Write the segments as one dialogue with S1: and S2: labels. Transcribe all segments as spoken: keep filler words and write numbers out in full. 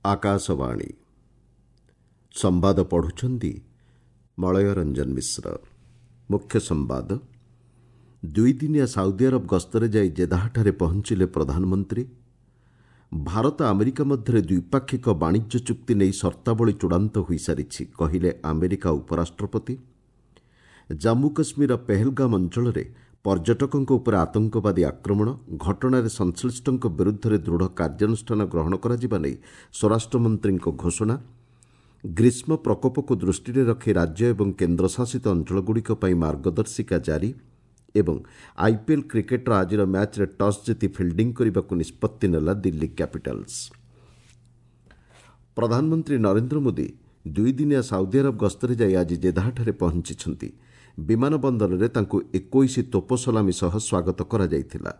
S1: ଆକାଶବାଣୀ ସମ୍ବାଦ ପଢ଼ୁଛନ୍ତି ମଳୟ ରଞ୍ଜନ ମିଶ୍ର ମୁଖ୍ୟ ସମ୍ବାଦ ଦୁଇଦିନିଆ ସାଉଦି ଆରବ ଗସ୍ତରେ ଯାଇ ଜେଦାହଠାରେ ପହଞ୍ଚିଲେ ପ୍ରଧାନମନ୍ତ୍ରୀ ଭାରତ ଆମେରିକା ମଧ୍ୟରେ ଦ୍ୱିପାକ୍ଷିକ ବାଣିଜ୍ୟ ଚୁକ୍ତି ନେଇ ସର୍ତ୍ତାବଳୀ ଚୂଡ଼ାନ୍ତ ହୋଇସାରିଛି କହିଲେ ଆମେରିକା ଉପରାଷ୍ଟ୍ରପତି ଜାମ୍ମୁ କାଶ୍ମୀରର ପେହେଲଗାମ ଅଞ୍ଚଳରେ ପର୍ଯ୍ୟଟକଙ୍କ ଉପରେ ଆତଙ୍କବାଦୀ ଆକ୍ରମଣ ଘଟଣାରେ ସଂଶ୍ଳିଷ୍ଟଙ୍କ ବିରୁଦ୍ଧରେ ଦୃଢ଼ କାର୍ଯ୍ୟାନୁଷ୍ଠାନ ଗ୍ରହଣ କରାଯିବା ନେଇ ସ୍ୱରାଷ୍ଟ୍ରମନ୍ତ୍ରୀଙ୍କ ଘୋଷଣା ଗ୍ରୀଷ୍ମ ପ୍ରକୋପକୁ ଦୃଷ୍ଟିରେ ରଖି ରାଜ୍ୟ ଏବଂ କେନ୍ଦ୍ରଶାସିତ ଅଞ୍ଚଳଗୁଡ଼ିକ ପାଇଁ ମାର୍ଗଦର୍ଶିକା ଜାରି ଏବଂ ଆଇପିଏଲ୍ କ୍ରିକେଟ୍ର ଆଜିର ମ୍ୟାଚ୍ରେ ଟସ୍ ଜିତି ଫିଲ୍ଡିଂ କରିବାକୁ ନିଷ୍ପତ୍ତି ନେଲା ଦିଲ୍ଲୀ କ୍ୟାପିଟାଲ୍ସ ପ୍ରଧାନମନ୍ତ୍ରୀ ନରେନ୍ଦ୍ର ମୋଦି ଦୁଇଦିନିଆ ସାଉଦି ଆରବ ଗସ୍ତରେ ଯାଇ ଆଜି ଜେଦାହଠାରେ ପହଞ୍ଚିଛନ୍ତି ବିମାନ ବନ୍ଦରରେ ତାଙ୍କୁ ଏକୋଇଶ ତୋପ ସଲାମୀ ସହ ସ୍ୱାଗତ କରାଯାଇଥିଲା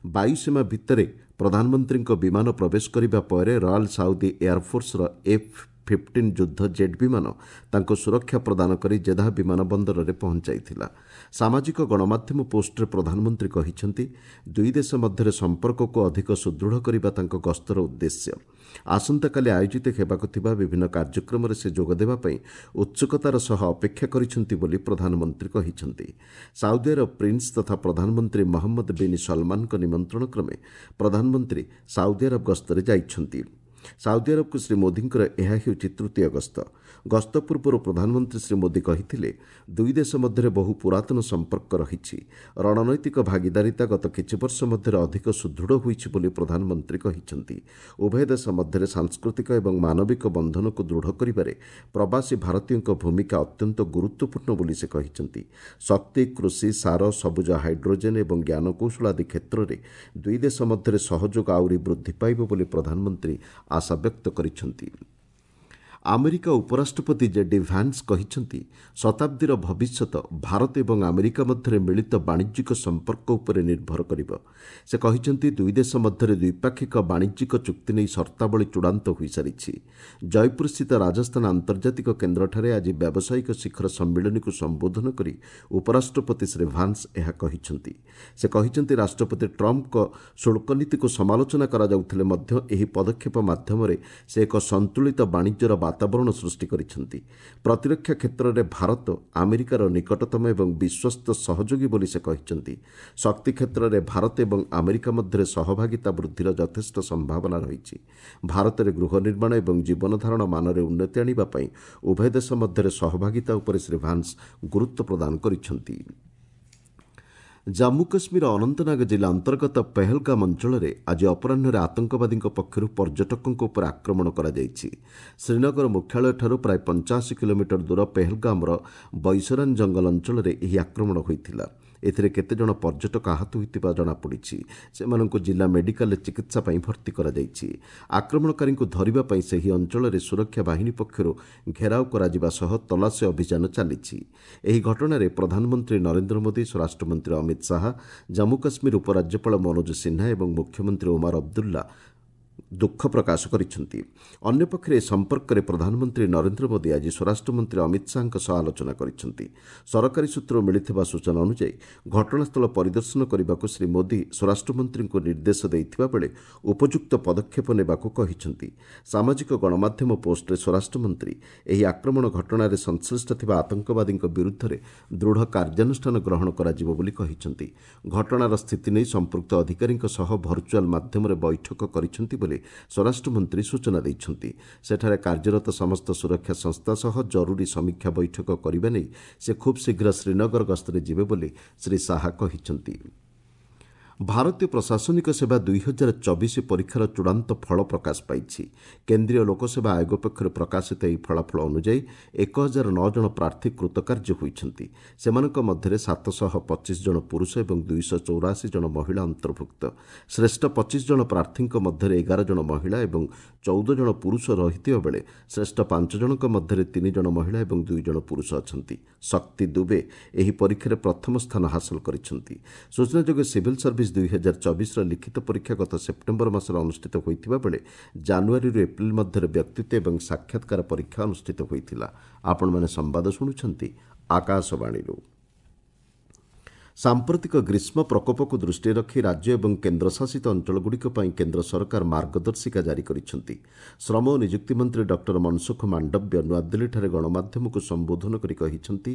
S1: ବାୟୁସୀମା ଭିତରେ ପ୍ରଧାନମନ୍ତ୍ରୀଙ୍କ ବିମାନ ପ୍ରବେଶ କରିବା ପରେ ରୟାଲ୍ ସାଉଦି ଏୟାରଫୋର୍ସର ଏଫ୍ ଫିଫ୍ଟିନ୍ ଯୁଦ୍ଧ ଜେଟ୍ ବିମାନ ତାଙ୍କୁ ସୁରକ୍ଷା ପ୍ରଦାନ କରି ଜେଦାହ ବିମାନ ବନ୍ଦରରେ ପହଞ୍ଚାଇଥିଲା ସାମାଜିକ ଗଣମାଧ୍ୟମ ପୋଷ୍ଟରେ ପ୍ରଧାନମନ୍ତ୍ରୀ କହିଛନ୍ତି ଦୁଇ ଦେଶ ମଧ୍ୟରେ ସମ୍ପର୍କକୁ ଅଧିକ ସୁଦୃଢ଼ କରିବା ତାଙ୍କ ଗସ୍ତର ଉଦ୍ଦେଶ୍ୟ ଆସନ୍ତାକାଲି ଆୟୋଜିତ ହେବାକୁ ଥିବା ବିଭିନ୍ନ କାର୍ଯ୍ୟକ୍ରମରେ ସେ ଯୋଗଦେବା ପାଇଁ ଉତ୍ସୁକତାର ସହ ଅପେକ୍ଷା କରିଛନ୍ତି ବୋଲି ପ୍ରଧାନମନ୍ତ୍ରୀ କହିଛନ୍ତି ସାଉଦି ଆରବ ପ୍ରିନ୍ସ ତଥା ପ୍ରଧାନମନ୍ତ୍ରୀ ମହମ୍ମଦ ବିନ୍ ସଲମାନଙ୍କ ନିମନ୍ତ୍ରଣ କ୍ରମେ ପ୍ରଧାନମନ୍ତ୍ରୀ ସାଉଦି ଆରବ ଗସ୍ତରେ ଯାଇଛନ୍ତି ସାଉଦି ଆରବକୁ ଶ୍ରୀ ମୋଦିଙ୍କର ଏହା ହେଉଛି ତୃତୀୟ ଗସ୍ତ ଗସ୍ତ ପୂର୍ବରୁ ପ୍ରଧାନମନ୍ତ୍ରୀ ଶ୍ରୀ ମୋଦି କହିଥିଲେ ଦୁଇ ଦେଶ ମଧ୍ୟରେ ବହୁ ପୁରାତନ ସମ୍ପର୍କ ରହିଛି ରଣନୈତିକ ଭାଗିଦାରିତା ଗତ କିଛି ବର୍ଷ ମଧ୍ୟରେ ଅଧିକ ସୁଦୃଢ଼ ହୋଇଛି ବୋଲି ପ୍ରଧାନମନ୍ତ୍ରୀ କହିଛନ୍ତି ଉଭୟ ଦେଶ ମଧ୍ୟରେ ସାଂସ୍କୃତିକ ଏବଂ ମାନବିକ ବନ୍ଧନକୁ ଦୃଢ଼ କରିବାରେ ପ୍ରବାସୀ ଭାରତୀୟଙ୍କ ଭୂମିକା ଅତ୍ୟନ୍ତ ଗୁରୁତ୍ୱପୂର୍ଣ୍ଣ ବୋଲି ସେ କହିଛନ୍ତି ଶକ୍ତି କୃଷି ସାର ସବୁଜ ହାଇଡ୍ରୋଜେନ୍ ଏବଂ ଜ୍ଞାନକୌଶଳ ଆଦି କ୍ଷେତ୍ରରେ ଦୁଇ ଦେଶ ମଧ୍ୟରେ ସହଯୋଗ ଆହୁରି ବୃଦ୍ଧି ପାଇବ ବୋଲି ପ୍ରଧାନମନ୍ତ୍ରୀ ଆଶା ବ୍ୟକ୍ତ କରିଛନ୍ତି ଆମେରିକା ଉପରାଷ୍ଟ୍ରପତି ଜେଡି ଭାନ୍ସ କହିଛନ୍ତି ଶତାବ୍ଦୀର ଭବିଷ୍ୟତ ଭାରତ ଏବଂ ଆମେରିକା ମଧ୍ୟରେ ମିଳିତ ବାଣିଜ୍ୟିକ ସମ୍ପର୍କ ଉପରେ ନିର୍ଭର କରିବ ସେ କହିଛନ୍ତି ଦୁଇ ଦେଶ ମଧ୍ୟରେ ଦ୍ୱିପାକ୍ଷିକ ବାଣିଜ୍ୟିକ ଚୁକ୍ତି ନେଇ ସର୍ତ୍ତାବଳୀ ଚୂଡ଼ାନ୍ତ ହୋଇସାରିଛି ଜୟପୁରସ୍ଥିତ ରାଜସ୍ଥାନ ଆନ୍ତର୍ଜାତିକ କେନ୍ଦ୍ରଠାରେ ଆଜି ବ୍ୟାବସାୟିକ ଶିଖର ସମ୍ମିଳନୀକୁ ସମ୍ବୋଧନ କରି ଉପରାଷ୍ଟ୍ରପତି ଶ୍ରୀ ଭାନ୍ସ ଏହା କହିଛନ୍ତି ସେ କହିଛନ୍ତି ରାଷ୍ଟ୍ରପତି ଟ୍ରମ୍ପଙ୍କ ଶୁଳ୍କ ନୀତିକୁ ସମାଲୋଚନା କରାଯାଉଥିଲେ ମଧ୍ୟ ଏହି ପଦକ୍ଷେପ ମାଧ୍ୟମରେ ସେ ଏକ ସନ୍ତୁଳିତ ବାଣିଜ୍ୟର ବାତାବରଣ ସୃଷ୍ଟି କରିଛନ୍ତି ପ୍ରତିରକ୍ଷା କ୍ଷେତ୍ରରେ ଭାରତ ଆମେରିକାର ନିକଟତମ ଏବଂ ବିଶ୍ୱସ୍ତ ସହଯୋଗୀ ବୋଲି ସେ କହିଛନ୍ତି ଶକ୍ତି କ୍ଷେତ୍ରରେ ଭାରତ ଏବଂ ଆମେରିକା ମଧ୍ୟରେ ସହଭାଗିତା ବୃଦ୍ଧିର ଯଥେଷ୍ଟ ସମ୍ଭାବନା ରହିଛି ଭାରତରେ ଗୃହ ନିର୍ମାଣ ଏବଂ ଜୀବନଧାରଣ ମାନରେ ଉନ୍ନତି ଆଣିବା ପାଇଁ ଉଭୟ ଦେଶ ମଧ୍ୟରେ ସହଭାଗିତା ଉପରେ ଶ୍ରୀ ଭାନ୍ସ ଗୁରୁତ୍ୱ ପ୍ରଦାନ କରିଛନ୍ତି ଜାମ୍ମୁ କାଶ୍ମୀର ଅନନ୍ତନାଗ ଜିଲ୍ଲା ଅନ୍ତର୍ଗତ ପେହେଲଗାମ ଅଞ୍ଚଳରେ ଆଜି ଅପରାହ୍ନରେ ଆତଙ୍କବାଦୀଙ୍କ ପକ୍ଷରୁ ପର୍ଯ୍ୟଟକଙ୍କ ଉପରେ ଆକ୍ରମଣ କରାଯାଇଛି ଶ୍ରୀନଗର ମୁଖ୍ୟାଳୟଠାରୁ ପ୍ରାୟ ପଞ୍ଚାଅଶୀ କିଲୋମିଟର ଦୂର ପେହେଲଗାମର ବୈସରାନ ଜଙ୍ଗଲ ଅଞ୍ଚଳରେ ଏହି ଆକ୍ରମଣ ହୋଇଥିଲା ଏଥିରେ କେତେଜଣ ପର୍ଯ୍ୟଟକ ଆହତ ହୋଇଥିବା ଜଣାପଡ଼ିଛି ସେମାନଙ୍କୁ ଜିଲ୍ଲା ମେଡିକାଲରେ ଚିକିତ୍ସା ପାଇଁ ଭର୍ତ୍ତି କରାଯାଇଛି ଆକ୍ରମଣକାରୀଙ୍କୁ ଧରିବା ପାଇଁ ସେହି ଅଞ୍ଚଳରେ ସୁରକ୍ଷା ବାହିନୀ ପକ୍ଷରୁ ଘେରାଉ କରାଯିବା ସହ ତଲାସୀ ଅଭିଯାନ ଚାଲିଛି ଏହି ଘଟଣାରେ ପ୍ରଧାନମନ୍ତ୍ରୀ ନରେନ୍ଦ୍ର ମୋଦି ସ୍ୱରାଷ୍ଟ୍ରମନ୍ତ୍ରୀ ଅମିତ ଶାହା ଜାମ୍ମୁ କାଶ୍ମୀର ଉପରାଜ୍ୟପାଳ ମନୋଜ ସିହ୍ନା ଏବଂ ମୁଖ୍ୟମନ୍ତ୍ରୀ ଓମାର ଅବଦୁଲ୍ଲା ଦୁଃଖ ପ୍ରକାଶ କରିଛନ୍ତି ଅନ୍ୟପକ୍ଷରେ ଏ ସମ୍ପର୍କରେ ପ୍ରଧାନମନ୍ତ୍ରୀ ନରେନ୍ଦ୍ର ମୋଦି ଆଜି ସ୍ୱରାଷ୍ଟ୍ରମନ୍ତ୍ରୀ ଅମିତ ଶାହାଙ୍କ ସହ ଆଲୋଚନା କରିଛନ୍ତି ସରକାରୀ ସୂତ୍ରରୁ ମିଳିଥିବା ସୂଚନା ଅନୁଯାୟୀ ଘଟଣାସ୍ଥଳ ପରିଦର୍ଶନ କରିବାକୁ ଶ୍ରୀ ମୋଦି ସ୍ୱରାଷ୍ଟ୍ରମନ୍ତ୍ରୀଙ୍କୁ ନିର୍ଦ୍ଦେଶ ଦେଇଥିବା ବେଳେ ଉପଯୁକ୍ତ ପଦକ୍ଷେପ ନେବାକୁ କହିଛନ୍ତି ସାମାଜିକ ଗଣମାଧ୍ୟମ ପୋଷ୍ଟରେ ସ୍ୱରାଷ୍ଟ୍ରମନ୍ତ୍ରୀ ଏହି ଆକ୍ରମଣ ଘଟଣାରେ ସଂଶ୍ଳିଷ୍ଟ ଥିବା ଆତଙ୍କବାଦୀଙ୍କ ବିରୁଦ୍ଧରେ ଦୃଢ଼ କାର୍ଯ୍ୟାନୁଷ୍ଠାନ ଗ୍ରହଣ କରାଯିବ ବୋଲି କହିଛନ୍ତି ଘଟଣାର ସ୍ଥିତି ନେଇ ସମ୍ପୃକ୍ତ ଅଧିକାରୀଙ୍କ ସହ ଭର୍ଚୁଆଲ ମାଧ୍ୟମରେ ବୈଠକ କରିଛନ୍ତି ବୋଲି ସ୍ୱରାଷ୍ଟ୍ରମନ୍ତ୍ରୀ ସୂଚନା ଦେଇଛନ୍ତି ସେଠାରେ କାର୍ଯ୍ୟରତ ସମସ୍ତ ସୁରକ୍ଷା ସଂସ୍ଥା ସହ ଜରୁରୀ ସମୀକ୍ଷା ବୈଠକ କରିବା ନେଇ ସେ ଖୁବ୍ ଶୀଘ୍ର ଶ୍ରୀନଗର ଗସ୍ତରେ ଯିବେ ବୋଲି ଶ୍ରୀ ଶାହା କହିଛନ୍ତି ଭାରତୀୟ ପ୍ରଶାସନିକ ସେବା ଦୁଇ ହଜାର ଚବିଶ ପରୀକ୍ଷାର ଚୂଡ଼ାନ୍ତ ଫଳ ପ୍ରକାଶ ପାଇଛି କେନ୍ଦ୍ରୀୟ ଲୋକସେବା ଆୟୋଗ ପକ୍ଷରୁ ପ୍ରକାଶିତ ଏହି ଫଳାଫଳ ଅନୁଯାୟୀ ଏକ ହଜାର ନଅ ଜଣ ପ୍ରାର୍ଥୀ କୃତକାର୍ଯ୍ୟ ହୋଇଛନ୍ତି ସେମାନଙ୍କ ମଧ୍ୟରେ ସାତଶହ ପଚିଶ ଜଣ ପୁରୁଷ ଏବଂ ଦୁଇଶହ ଚଉରାଅଶୀ ଜଣ ମହିଳା ଅନ୍ତର୍ଭୁକ୍ତ ଶ୍ରେଷ୍ଠ ପଚିଶ ଜଣ ପ୍ରାର୍ଥୀଙ୍କ ମଧ୍ୟରେ ଏଗାର ଜଣ ମହିଳା ଏବଂ ଚଉଦ ଜଣ ପୁରୁଷ ରହିଥିବା ବେଳେ ଶ୍ରେଷ୍ଠ ପାଞ୍ଚ ଜଣଙ୍କ ମଧ୍ୟରେ ତିନି ଜଣ ମହିଳା ଏବଂ ଦୁଇ ଜଣ ପୁରୁଷ ଅଛନ୍ତି ଶକ୍ତି ଦୁବେ ଏହି ପରୀକ୍ଷାରେ ପ୍ରଥମ ସ୍ଥାନ ହାସଲ କରିଛନ୍ତି ସୂଚନାଯୋଗ୍ୟ ସିଭିଲ୍ ସର୍ଭିସ ଦୁଇ ହଜାର ଚବିଶର ଲିଖିତ ପରୀକ୍ଷା ଗତ ସେପ୍ଟେମ୍ବର ମାସରେ ଅନୁଷ୍ଠିତ ହୋଇଥିବା ବେଳେ ଜାନୁଆରୀରୁ ଏପ୍ରିଲ ମଧ୍ୟରେ ବ୍ୟକ୍ତିତ୍ୱ ଏବଂ ସାକ୍ଷାତକାର ପରୀକ୍ଷା ଅନୁଷ୍ଠିତ ହୋଇଥିଲା ଆପଣମାନେ ସମ୍ବାଦ ଶୁଣୁଛନ୍ତି ଆକାଶବାଣୀରୁ ସାମ୍ପ୍ରତିକ ଗ୍ରୀଷ୍ମ ପ୍ରକୋପକୁ ଦୃଷ୍ଟିରେ ରଖି ରାଜ୍ୟ ଏବଂ କେନ୍ଦ୍ରଶାସିତ ଅଞ୍ଚଳଗୁଡ଼ିକ ପାଇଁ କେନ୍ଦ୍ର ସରକାର ମାର୍ଗଦର୍ଶିକା ଜାରି କରିଛନ୍ତି। ଶ୍ରମ ଓ ନିଯୁକ୍ତି ମନ୍ତ୍ରୀ ଡକ୍ଟର ମନସୁଖ ମାଣ୍ଡବ୍ୟ ନୂଆଦିଲ୍ଲୀଠାରେ ଗଣମାଧ୍ୟମକୁ ସମ୍ବୋଧନ କରି କହିଛନ୍ତି,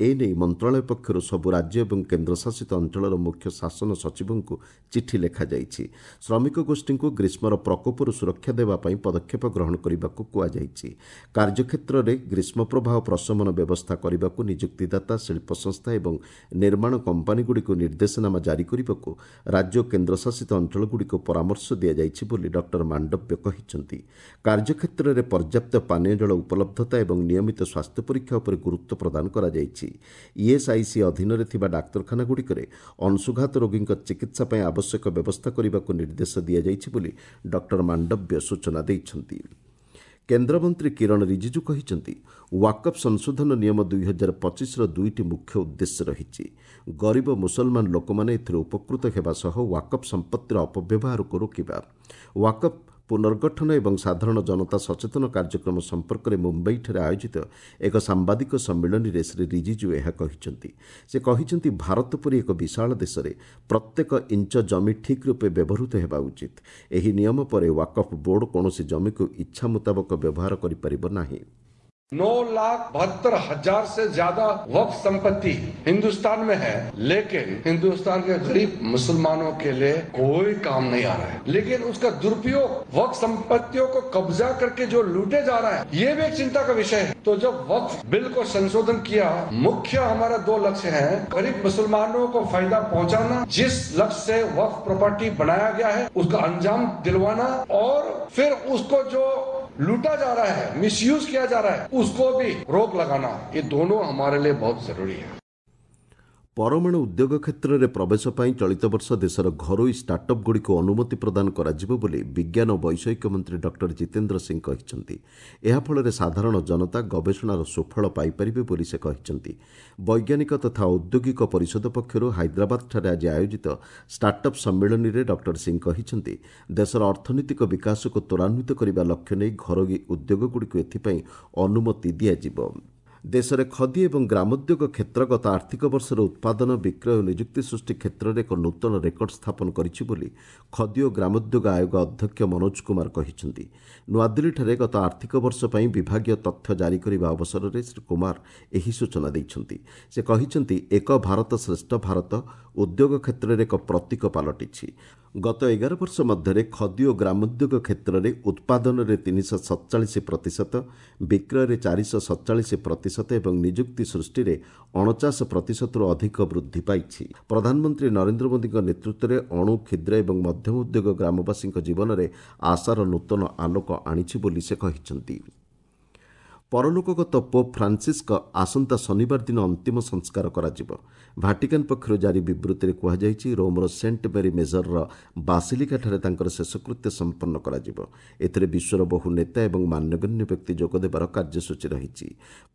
S1: ଏନେଇ ମନ୍ତ୍ରଣାଳୟ ପକ୍ଷରୁ ସବୁ ରାଜ୍ୟ ଏବଂ କେନ୍ଦ୍ରଶାସିତ ଅଞ୍ଚଳର ମୁଖ୍ୟ ଶାସନ ସଚିବଙ୍କୁ ଚିଠି ଲେଖାଯାଇଛି। ଶ୍ରମିକ ଗୋଷ୍ଠୀଙ୍କୁ ଗ୍ରୀଷ୍ମର ପ୍ରକୋପରୁ ସୁରକ୍ଷା ଦେବା ପାଇଁ ପଦକ୍ଷେପ ଗ୍ରହଣ କରିବାକୁ କୁହାଯାଇଛି। କାର୍ଯ୍ୟକ୍ଷେତ୍ରରେ ଗ୍ରୀଷ୍ମ ପ୍ରବାହ ପ୍ରଶମନ ବ୍ୟବସ୍ଥା କରିବାକୁ ନିଯୁକ୍ତିଦାତା, ଶିଳ୍ପ ସଂସ୍ଥା ଏବଂ ନିର୍ମାଣ କମ୍ପାନୀଗୁଡ଼ିକୁ ନିର୍ଦ୍ଦେଶନାମା ଜାରି କରିବାକୁ ରାଜ୍ୟ ଓ କେନ୍ଦ୍ରଶାସିତ ଅଞ୍ଚଳଗୁଡ଼ିକୁ ପରାମର୍ଶ ଦିଆଯାଇଛି ବୋଲି ଡକ୍ଟର ମାଣ୍ଡବ୍ୟ କହିଛନ୍ତି। କାର୍ଯ୍ୟକ୍ଷେତ୍ରରେ ପର୍ଯ୍ୟାପ୍ତ ପାନୀୟ ଜଳ ଉପଲବ୍ଧତା ଏବଂ ନିୟମିତ ସ୍ୱାସ୍ଥ୍ୟ ପରୀକ୍ଷା ଉପରେ ଗୁରୁତ୍ୱ ପ୍ରଦାନ କରାଯାଇଛି। ଇଏସ୍ଆଇସି ଅଧୀନରେ ଥିବା ଡାକ୍ତରଖାନାଗୁଡ଼ିକରେ ଅଂଶୁଘାତ ରୋଗୀଙ୍କ ଚିକିତ୍ସା ପାଇଁ ଆବଶ୍ୟକ ବ୍ୟବସ୍ଥା କରିବାକୁ ନିର୍ଦ୍ଦେଶ ଦିଆଯାଇଛି ବୋଲି ଡକ୍ଟର ମାଣ୍ଡବ୍ୟ ସୂଚନା ଦେଇଛନ୍ତି। କେନ୍ଦ୍ରମନ୍ତ୍ରୀ କିରଣ ରିଜିଜୁ କହିଛନ୍ତି, ୱାକଫ୍ ସଂଶୋଧନ ନିୟମ ଦୁଇ ହଜାର ପଚିଶର ଦୁଇଟି ମୁଖ୍ୟ ଉଦ୍ଦେଶ୍ୟ ରହିଛି। ଗରିବ ମୁସଲମାନ ଲୋକମାନେ ଏଥିରେ ଉପକୃତ ହେବା ସହ ୱାକଫ୍ ସମ୍ପତ୍ତିର ଅପବ୍ୟବହାରକୁ ରୋକିବା। ୱାକଫ୍ ପୁନର୍ଗଠନ ଏବଂ ସାଧାରଣ ଜନତା ସଚେତନ କାର୍ଯ୍ୟକ୍ରମ ସମ୍ପର୍କରେ ମୁମ୍ବାଇଠାରେ ଆୟୋଜିତ ଏକ ସାମ୍ବାଦିକ ସମ୍ମିଳନୀରେ ଶ୍ରୀ ରିଜିଜୁ ଏହା କହିଛନ୍ତି। ସେ କହିଛନ୍ତି, ଭାରତ ପରି ଏକ ବିଶାଳ ଦେଶରେ ପ୍ରତ୍ୟେକ ଇଞ୍ଚ ଜମି ଠିକ୍ ରୂପେ ବ୍ୟବହୃତ ହେବା ଉଚିତ। ଏହି ନିୟମ ପରେ ୱାକଫ୍ ବୋର୍ଡ କୌଣସି ଜମିକୁ ଇଚ୍ଛା ମୁତାବକ ବ୍ୟବହାର କରିପାରିବ ନାହିଁ।
S2: नौ लाख बहत्तर हजार से ज्यादा वक्फ संपत्ति हिंदुस्तान में है, लेकिन हिंदुस्तान के गरीब मुसलमानों के लिए कोई काम नहीं आ रहा है। लेकिन उसका दुरुपयोग, वक्फ संपत्तियों को कब्जा करके जो लूटे जा रहा है, ये भी एक चिंता का विषय है। तो जब वक्फ बिल को संशोधन किया, मुख्य हमारा दो लक्ष्य है, गरीब मुसलमानों को फायदा पहुंचाना, जिस लक्ष्य से वक्फ प्रॉपर्टी बनाया गया है उसका अंजाम दिलवाना, और फिर उसको जो लूटा जा रहा है, मिसयूज किया जा रहा है, उसको भी रोक लगाना, ये दोनों हमारे लिए बहुत जरूरी है।
S1: ପରମାଣୁ ଉଦ୍ୟୋଗ କ୍ଷେତ୍ରରେ ପ୍ରବେଶ ପାଇଁ ଚଳିତ ବର୍ଷ ଦେଶର ଘରୋଇ ଷ୍ଟାର୍ଟଅପ୍ଗୁଡ଼ିକୁ ଅନୁମତି ପ୍ରଦାନ କରାଯିବ ବୋଲି ବିଜ୍ଞାନ ଓ ବୈଷୟିକ ମନ୍ତ୍ରୀ ଡକ୍ଟର ଜିତେନ୍ଦ୍ର ସିଂ କହିଛନ୍ତି। ଏହାଫଳରେ ସାଧାରଣ ଜନତା ଗବେଷଣାର ସୁଫଳ ପାଇପାରିବେ ବୋଲି ସେ କହିଛନ୍ତି। ବୈଜ୍ଞାନିକ ତଥା ଔଦ୍ୟୋଗିକ ପରିଷଦ ପକ୍ଷରୁ ହାଇଦ୍ରାବାଦଠାରେ ଆଜି ଆୟୋଜିତ ଷ୍ଟାର୍ଟଅପ୍ ସମ୍ମିଳନୀରେ ଡକ୍ଟର ସିଂ କହିଛନ୍ତି, ଦେଶର ଅର୍ଥନୈତିକ ବିକାଶକୁ ତ୍ୱରାନ୍ୱିତ କରିବା ଲକ୍ଷ୍ୟ ନେଇ ଘରୋଇ ଉଦ୍ୟୋଗଗୁଡ଼ିକୁ ଏଥିପାଇଁ ଅନୁମତି ଦିଆଯିବ। ଦେଶରେ ଖଦି ଏବଂ ଗ୍ରାମୋଦ୍ୟୋଗ କ୍ଷେତ୍ର ଗତ ଆର୍ଥିକ ବର୍ଷର ଉତ୍ପାଦନ, ବିକ୍ରୟ ଓ ନିଯୁକ୍ତି ସୃଷ୍ଟି କ୍ଷେତ୍ରରେ ଏକ ନୂତନ ରେକର୍ଡ ସ୍ଥାପନ କରିଛି ବୋଲି ଖଦି ଓ ଗ୍ରାମୋଦ୍ୟୋଗ ଆୟୋଗ ଅଧ୍ୟକ୍ଷ ମନୋଜ କୁମାର କହିଛନ୍ତି। ନୂଆଦିଲ୍ଲୀଠାରେ ଗତ ଆର୍ଥିକ ବର୍ଷ ପାଇଁ ବିଭାଗୀୟ ତଥ୍ୟ ଜାରି କରିବା ଅବସରରେ ଶ୍ରୀ କୁମାର ଏହି ସୂଚନା ଦେଇଛନ୍ତି। ସେ କହିଛନ୍ତି, ଏକ ଭାରତ ଶ୍ରେଷ୍ଠ ଭାରତ ଉଦ୍ୟୋଗ କ୍ଷେତ୍ରରେ ଏକ ପ୍ରତୀକ ପାଲଟିଛି। ଗତ ଏଗାର ବର୍ଷ ମଧ୍ୟରେ ଖଦି ଓ ଗ୍ରାମୋଦ୍ୟୋଗ କ୍ଷେତ୍ରରେ ଉତ୍ପାଦନରେ ତିନିଶହ ସତଚାଳିଶ ପ୍ରତିଶତ, ବିକ୍ରୟରେ ଚାରିଶହ ସତଚାଳିଶ ପ୍ରତିଶତ ଏବଂ ନିଯୁକ୍ତି ସୃଷ୍ଟିରେ ଅଣଚାଶ ପ୍ରତିଶତରୁ ଅଧିକ ବୃଦ୍ଧି ପାଇଛି। ପ୍ରଧାନମନ୍ତ୍ରୀ ନରେନ୍ଦ୍ର ମୋଦିଙ୍କ ନେତୃତ୍ୱରେ ଅଣୁ, କ୍ଷୁଦ୍ର ଏବଂ ମଧ୍ୟମ ଉଦ୍ୟୋଗ ଗ୍ରାମବାସୀଙ୍କ ଜୀବନରେ ଆଶାର ନୂତନ ଆଲୋକ ଆଣିଛି ବୋଲି ସେ କହିଛନ୍ତି। ପରଲୋକଗତ ପୋପ୍ ଫ୍ରାନ୍ସିସ୍ଙ୍କ ଆସନ୍ତା ଶନିବାର ଦିନ ଅନ୍ତିମ ସଂସ୍କାର କରାଯିବ। ଭାଟିକାନ୍ ପକ୍ଷରୁ ଜାରି ବିବୃତ୍ତିରେ କୁହାଯାଇଛି, ରୋମ୍ର ସେଣ୍ଟ ମେରି ମେଜରର ବାସିଲିକାଠାରେ ତାଙ୍କର ଶେଷକୃତ୍ୟ ସମ୍ପନ୍ନ କରାଯିବ। ଏଥିରେ ବିଶ୍ୱର ବହୁ ନେତା ଏବଂ ମାନ୍ୟଗଣ୍ୟ ବ୍ୟକ୍ତି ଯୋଗଦେବାର କାର୍ଯ୍ୟସୂଚୀ ରହିଛି।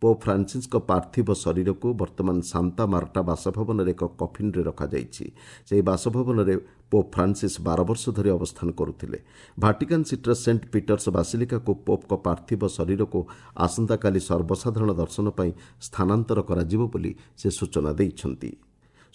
S1: ପୋପ୍ ଫ୍ରାନ୍ସିସ୍ଙ୍କ ପାର୍ଥିବ ଶରୀରକୁ ବର୍ତ୍ତମାନ ସାନ୍ତା ମାର୍ଟା ବାସଭବନରେ ଏକ କଫିନ୍ରେ ରଖାଯାଇଛି। ସେହି ବାସଭବନରେ ପୋପ୍ ଫ୍ରାନ୍ସିସ୍ ବାର ବର୍ଷ ଧରି ଅବସ୍ଥାନ କରୁଥିଲେ। ଭାଟିକାନ୍ ସିଟିର ସେଣ୍ଟ ପିଟର୍ସ ବାସିଲିକାକୁ ପୋପ୍ଙ୍କ ପାର୍ଥିବ ଶରୀରକୁ ଆସନ୍ତାକାଲି ସର୍ବସାଧାରଣ ଦର୍ଶନ ପାଇଁ ସ୍ଥାନାନ୍ତର କରାଯିବ ବୋଲି ସେ ସୂଚନା ଦେଇଛନ୍ତି।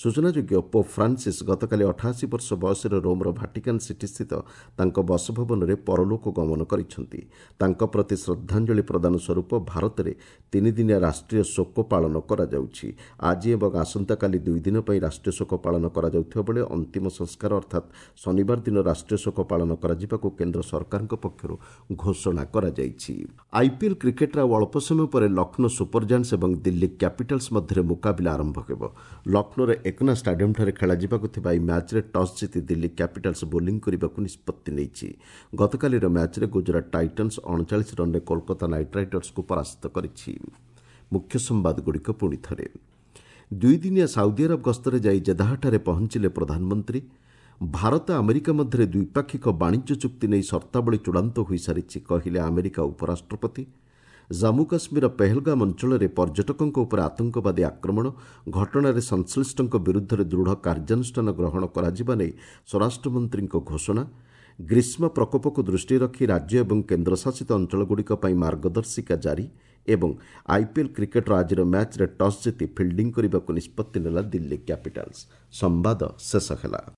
S1: ସୂଚନାଯୋଗ୍ୟ, ପୋପ୍ ଫ୍ରାନ୍ସିସ୍ ଗତକାଲି ଅଠାଅଶୀ ବର୍ଷ ବୟସରେ ରୋମ୍ର ଭାଟିକାନ୍ ସିଟିସ୍ଥିତ ତାଙ୍କ ବାସଭବନରେ ପରଲୋକ ଗମନ କରିଛନ୍ତି। ତାଙ୍କ ପ୍ରତି ଶ୍ରଦ୍ଧାଞ୍ଜଳି ପ୍ରଦାନ ସ୍ୱରୂପ ଭାରତରେ ତିନିଦିନିଆ ରାଷ୍ଟ୍ରୀୟ ଶୋକ ପାଳନ କରାଯାଉଛି। ଆଜି ଏବଂ ଆସନ୍ତାକାଲି ଦୁଇ ଦିନ ପାଇଁ ରାଷ୍ଟ୍ରୀୟ ଶୋକ ପାଳନ କରାଯାଉଥିବା ବେଳେ ଅନ୍ତିମ ସଂସ୍କାର ଅର୍ଥାତ୍ ଶନିବାର ଦିନ ରାଷ୍ଟ୍ରୀୟ ଶୋକ ପାଳନ କରାଯିବାକୁ କେନ୍ଦ୍ର ସରକାରଙ୍କ ପକ୍ଷରୁ ଘୋଷଣା କରାଯାଇଛି। ଆଇପିଏଲ୍ କ୍ରିକେଟ୍ର ଆଉ ଅଳ୍ପ ସମୟ ପରେ ଲକ୍ଷ୍ନୌ ସୁପର ଜାଏଣ୍ଟସ୍ ଏବଂ ଦିଲ୍ଲୀ କ୍ୟାପିଟାଲ୍ସ ମଧ୍ୟରେ ମୁକାବିଲା ଆରମ୍ଭ ହେବ। ଲକ୍ଷ୍ନୌର ଏକନା ଷ୍ଟାଡିୟମ୍ଠାରେ ଖେଳାଯିବାକୁ ଥିବା ଏହି ମ୍ୟାଚ୍ରେ ଟସ୍ ଜିତି ଦିଲ୍ଲୀ କ୍ୟାପିଟାଲ୍ସ ବୋଲିଂ କରିବାକୁ ନିଷ୍ପତ୍ତି ନେଇଛି। ଗତକାଲିର ମ୍ୟାଚ୍ରେ ଗୁଜରାଟ ଟାଇଟନ୍ସ ଅଣଚାଳିଶ ରନ୍ରେ କୋଲକାତା ନାଇଟ୍ ରାଇଡର୍ସକୁ ପରାସ୍ତ କରିଛି। ମୁଖ୍ୟ ସମ୍ବାଦଗୁଡ଼ିକ ପୁଣି ଥରେ। ଦୁଇଦିନିଆ ସାଉଦି ଆରବ ଗସ୍ତରେ ଯାଇ ଜେଦାହଠାରେ ପହଞ୍ଚିଲେ ପ୍ରଧାନମନ୍ତ୍ରୀ। ଭାରତ ଆମେରିକା ମଧ୍ୟରେ ଦ୍ୱିପାକ୍ଷିକ ବାଣିଜ୍ୟ ଚୁକ୍ତି ନେଇ ସର୍ତ୍ତାବଳୀ ଚୂଡ଼ାନ୍ତ ହୋଇସାରିଛି, କହିଲେ ଆମେରିକା ଉପରାଷ୍ଟ୍ରପତି। ଜାମ୍ମୁ କାଶ୍ମୀରର ପେହଲଗାମ ଅଞ୍ଚଳରେ ପର୍ଯ୍ୟଟକଙ୍କ ଉପରେ ଆତଙ୍କବାଦୀ ଆକ୍ରମଣ ଘଟଣାରେ ସଂଶ୍ଳିଷ୍ଟଙ୍କ ବିରୁଦ୍ଧରେ ଦୃଢ଼ କାର୍ଯ୍ୟାନୁଷ୍ଠାନ ଗ୍ରହଣ କରାଯିବା ନେଇ ସ୍ୱରାଷ୍ଟ୍ରମନ୍ତ୍ରୀଙ୍କ ଘୋଷଣା। ଗ୍ରୀଷ୍ମ ପ୍ରକୋପକୁ ଦୃଷ୍ଟିରେ ରଖି ରାଜ୍ୟ ଏବଂ କେନ୍ଦ୍ରଶାସିତ ଅଞ୍ଚଳଗୁଡ଼ିକ ପାଇଁ ମାର୍ଗଦର୍ଶିକା ଜାରି। ଏବଂ ଆଇପିଏଲ୍ କ୍ରିକେଟ୍ର ଆଜିର ମ୍ୟାଚ୍ରେ ଟସ୍ ଜିତି ଫିଲ୍ଡିଂ କରିବାକୁ ନିଷ୍ପତ୍ତି ନେଲା ଦିଲ୍ଲୀ କ୍ୟାପିଟାଲ୍ସ। ସମ୍ବାଦ ଶେଷ ହେଲା।